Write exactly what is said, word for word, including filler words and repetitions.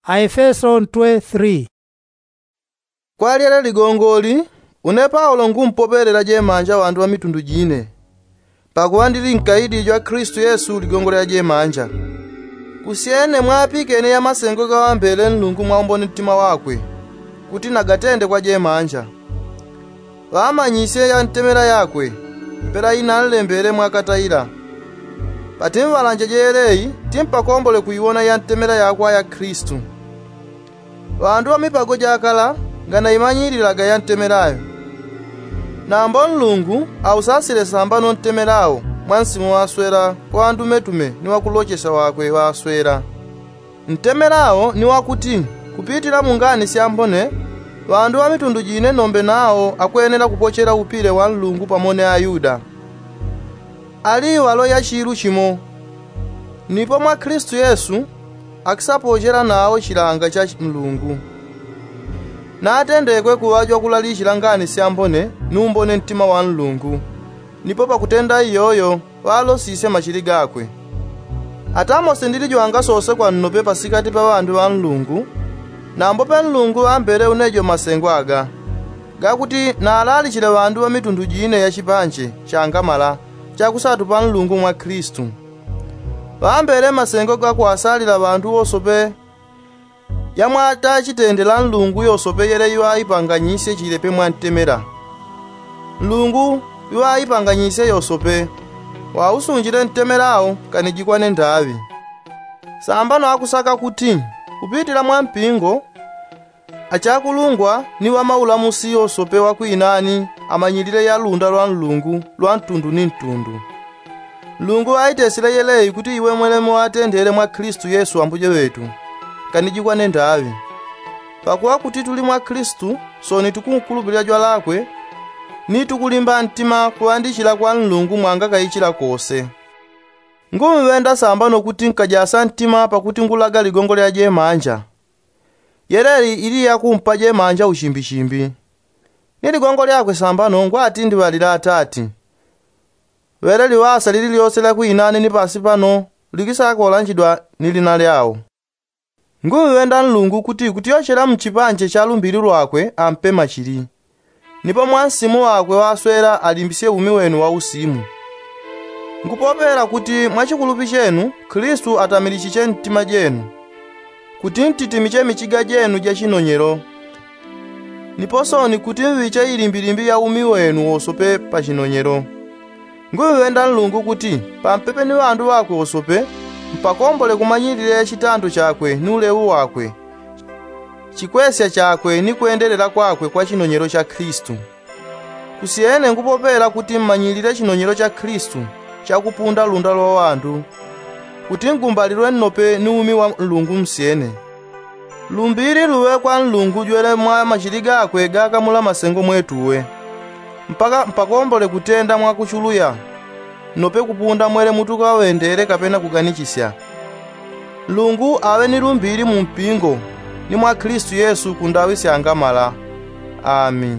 Aefeso ntwe three. Kwa lyele ligongoli, une paulo ngumpopelela jemanja ŵandu ŵa mitundu jine, pakuŵa ndili nkaidi jwa klistu yesu ligongo lya jemanja. Kusyene mwapikene ya masengo gaŵambele nlungu mwaumbone ntima wakwe, kuti nagatende kwa jemanja. Ŵamanyisye ya ntemela yakwe, mpela inanlembele mwakata ila. Patimŵalanje jeyeleyi timpakombole kuiwona ya ntemela yakwa ya klistu. Ŵandu ŵa mipago jakala nganaimanyililaga ya ntemela yo. Nambo nlungu ausasile sambano ntemela wo mwa nsimu ŵaswela kwa ŵandumetume ni ŵakulochesya wakwe ŵaswela. Ntemela wo ni wakuti, kupitila mu ngani syambone, ŵandu ŵa mitundu jine nombe nawo akwenela kupochela upile wa nlungu pamone ayuda. Ali iŵalo ya chilu chimo. Nipo mwa klistu yesu akisapochela nawo chilanga cha nlungu. Natendekwe kuŵajwa kulalichila ngani syambone numbone ntima wa nlungu. Nipo pakutenda iyoyo ŵalosisye machili gakwe. Ata mose ndilijwanga sose kwa nnope pasikati pa ŵandu ŵa nlungu. Nambo pe nlungu ŵambele unejo masengo aga, gakuti nalalichile ŵandu ŵa mitundu jine ya chipanje changamala chakusatu pa nlungu mwa klistu. Ŵambele masengo gakuwasalila ŵandu wosope. Yamwata chitendela nlungu yosope yele iŵaipanganyisye chilepe mwa ntemela. Nlungu iŵaipanganyisye yosope, wausunjile ntemela wo kanijikwane ndaŵi. Sambano akusaka kuti, kupitila mwa mpingo, achakulungwa ni ŵamaulamusi yosope ŵakwinani amanyilile ya lunda lwa nlungu lwa ntundu ni ntundu. Nlungu ŵaitesile yeleyi kuti iwe mwelemo ŵatendele mwa klistu yesu ambujo ŵetu, kanijikwane ndaŵi. Pakuŵa kuti tuli mwa klistu, soni tukunkulupilila jwalakwe, ni tukulimba ntima kuŵandichila kwa nlungu mwangakaichila kose. Ngumŵenda sambano kuti nkajasa ntima pakuti ngulaga ligongo lya jemanja. Yeleli ili yakumpa jemanja uchimbichimbi. Ni ligongo lyakwe sambano ngwati ndiŵalila atati. Ŵele liŵasa lili lyose lyakwinani ni pasi pano likisakolanjidwa ni lina lyawo. Ngumŵenda nlungu kuti kutyochela mchipanje cha lumbili lwakwe ampe machili. Nipo mwa nsimu wakwe ŵaswela alimbisye umi wenu wa usimu. Ngupopela kuti mwa chikulupi chenu klistu atamilichiche ntima jenu, kuti ntitimiche michiga jenu ja chinonyelo. Nipo soni kuti mŵiche ilimbilimbi ya umi wenu wosope pa chinonyelo. Ngumŵenda nlungu kuti pampepe ni ŵandu ŵakwe wosope, mpakombole kumanyilile chitando chakwe ni uleŵu wakwe, chikwesya chakwe ni kwendelela kwakwe kwa chinonyelo cha klistu. Kusyene ngupopela kuti mmanyilile chinonyelo cha klistu chakupunda lunda lwa ŵandu, kuti ngumbalilwe nnope ni umi wa nlungu msyene. Lumbili luŵe kwa nlungu jwele mwa machili gakwe gakamula masengo mwetuwe, mpaka mpakombole kutenda mwakuchuluya, nnope kupunda mwele mutukaŵendele kapena kuganichisya. Nlungu aŵe ni lumbili mu mpingo, ni mwa klistu yesu kundaŵi syangamala. Ami.